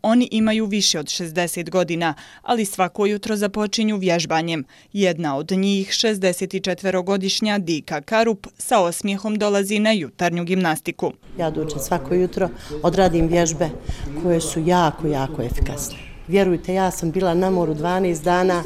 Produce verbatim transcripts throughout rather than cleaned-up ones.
Oni imaju više od šezdeset godina, ali svako jutro započinju vježbanjem. Jedna od njih, šezdesetčetvorogodišnja Dika Karup, sa osmijehom dolazi na jutarnju gimnastiku. Ja dođem svako jutro, odradim vježbe koje su jako, jako efikasne. Vjerujte, ja sam bila na moru dvanaest dana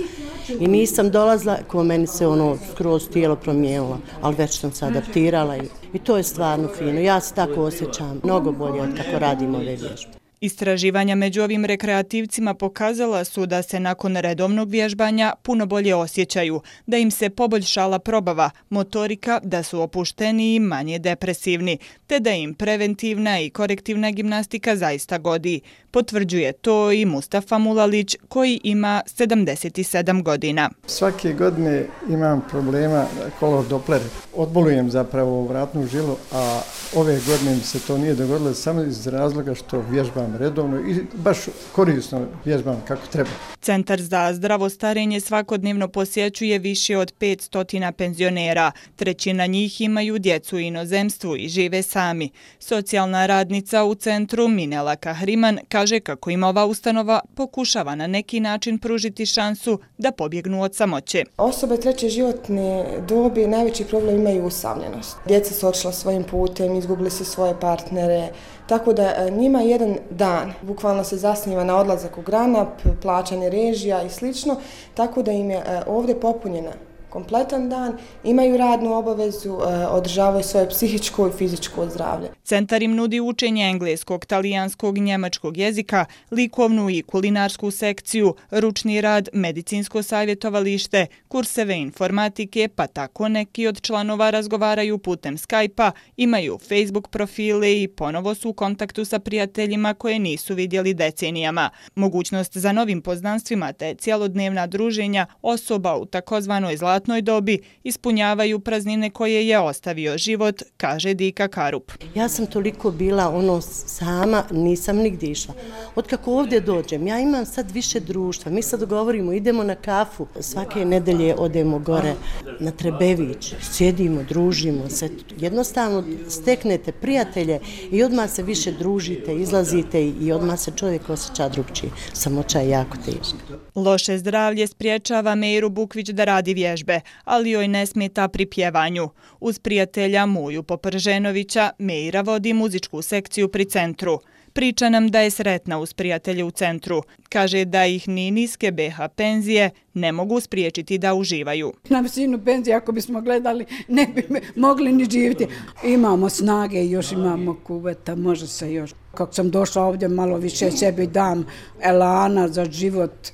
i nisam dolazila, ko meni se ono skroz tijelo promijenilo, ali već sam se adaptirala i, i to je stvarno fino. Ja se tako osjećam mnogo bolje od kako radim ove vježbe. Istraživanja među ovim rekreativcima pokazala su da se nakon redovnog vježbanja puno bolje osjećaju, da im se poboljšala probava, motorika, da su opušteniji i manje depresivni, te da im preventivna i korektivna gimnastika zaista godi. Potvrđuje to i Mustafa Mulalić, koji ima sedamdeset sedam godina. Svake godine imam problema kolor Doppler. Odbolujem zapravo vratnu žilu, a ove godine mi se to nije dogodilo samo iz razloga što vježbam redovno i baš korisno vježbam kako treba. Centar za zdravo starenje svakodnevno posjećuje više od petsto penzionera. Trećina njih imaju djecu u inozemstvu i žive sami. Socijalna radnica u centru Minela Kahriman kaže kako im ova ustanova pokušava na neki način pružiti šansu da pobjegnu od samoće. Osobe treće životne dobi najveći problem imaju usamljenost. Djeca su otišla svojim putem, izgubili su svoje partnere, tako da njima jedan dan bukvalno se zasniva na odlazak u Granap, plaćanje režija i slično, tako da im je ovdje popunjena kompletan dan, imaju radnu obavezu, održavaju svoje psihičko i fizičko zdravlje. Centar im nudi učenje engleskog, talijanskog i njemačkog jezika, likovnu i kulinarsku sekciju, ručni rad, medicinsko savjetovalište, kurseve informatike, pa tako neki od članova razgovaraju putem Skype-a, imaju Facebook profile i ponovo su u kontaktu sa prijateljima koje nisu vidjeli decenijama. Mogućnost za novim poznanstvima te cijelodnevna druženja osoba u takozvanoj zlatnoj dobi ispunjavaju praznine koje je ostavio život, kaže Dika Karup. Ja sam toliko bila ono sama, nisam nigdje išla. Otkako ovdje dođem, ja imam sad više društva. Mi sad govorimo, idemo na kafu. Svake nedelje odemo gore na Trebević, sjedimo, družimo se. Jednostavno steknete prijatelje i odmah se više družite, izlazite i odmah se čovjek osjeća drugčije. Samoća je jako teška. Loše zdravlje spriječava Meiru Bukvić da radi vježbe, ali joj ne smeta pri pjevanju. Uz prijatelja Muju Poprženovića, Meira vodi muzičku sekciju pri centru. Priča nam da je sretna uz prijatelje u centru. Kaže da ih ni niske be ha penzije ne mogu spriječiti da uživaju. Na visinu penzije, ako bismo gledali, ne bi mogli ni živjeti. Imamo snage, još imamo kuveta, može se još. Kako sam došla ovdje, malo više sebi dam elana za život.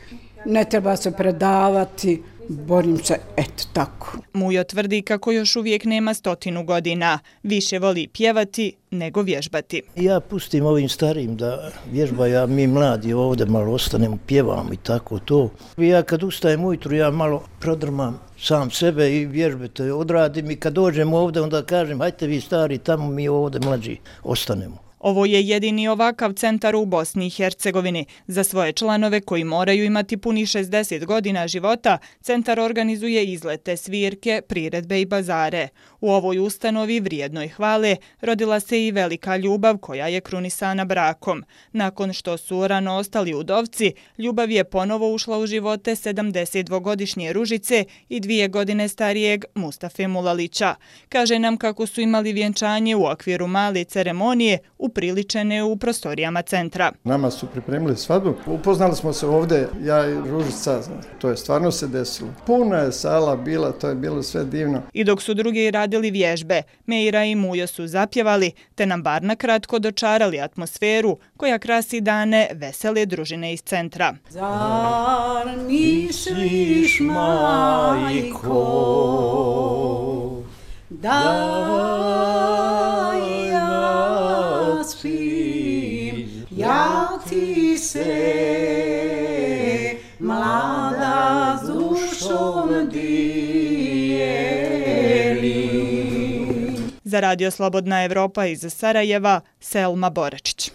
Ne treba se predavati. Borim se, eto tako. Mujo tvrdi kako još uvijek nema stotinu godina. Više voli pjevati nego vježbati. Ja pustim ovim starijim da vježbaju, a mi mladi ovdje malo ostanemo, pjevamo i tako to. Ja kad ustajem ujutru, ja malo prodrmam sam sebe i vježbe te odradim i kad dođem ovdje onda kažem hajte vi stari tamo, mi ovdje mlađi ostanemo. Ovo je jedini ovakav centar u Bosni i Hercegovini. Za svoje članove koji moraju imati puni šezdeset godina života, centar organizuje izlete, svirke, priredbe i bazare. U ovoj ustanovi vrijednoj hvale rodila se i velika ljubav koja je krunisana brakom. Nakon što su rano ostali udovci, ljubav je ponovo ušla u živote sedamdesetdvogodišnje Ružice i dvije godine starijeg Mustafe Mulalića. Kaže nam kako su imali vjenčanje u okviru male ceremonije upriličene u prostorijama centra. Nama su pripremili svadbu. Upoznali smo se ovdje, ja i Ružica, to je stvarno se desilo. Puna je sala bila, to je bilo sve divno. I dok su drugi radili vježbe, Meira i Mujo su zapjevali, te nam bar na kratko dočarali atmosferu koja krasi dane vesele družine iz centra. Zar misliš, majko, da ja spim, ja ti se mlada s dušom dijelim. Za Radio Slobodna Evropa iz Sarajeva, Selma Boračić.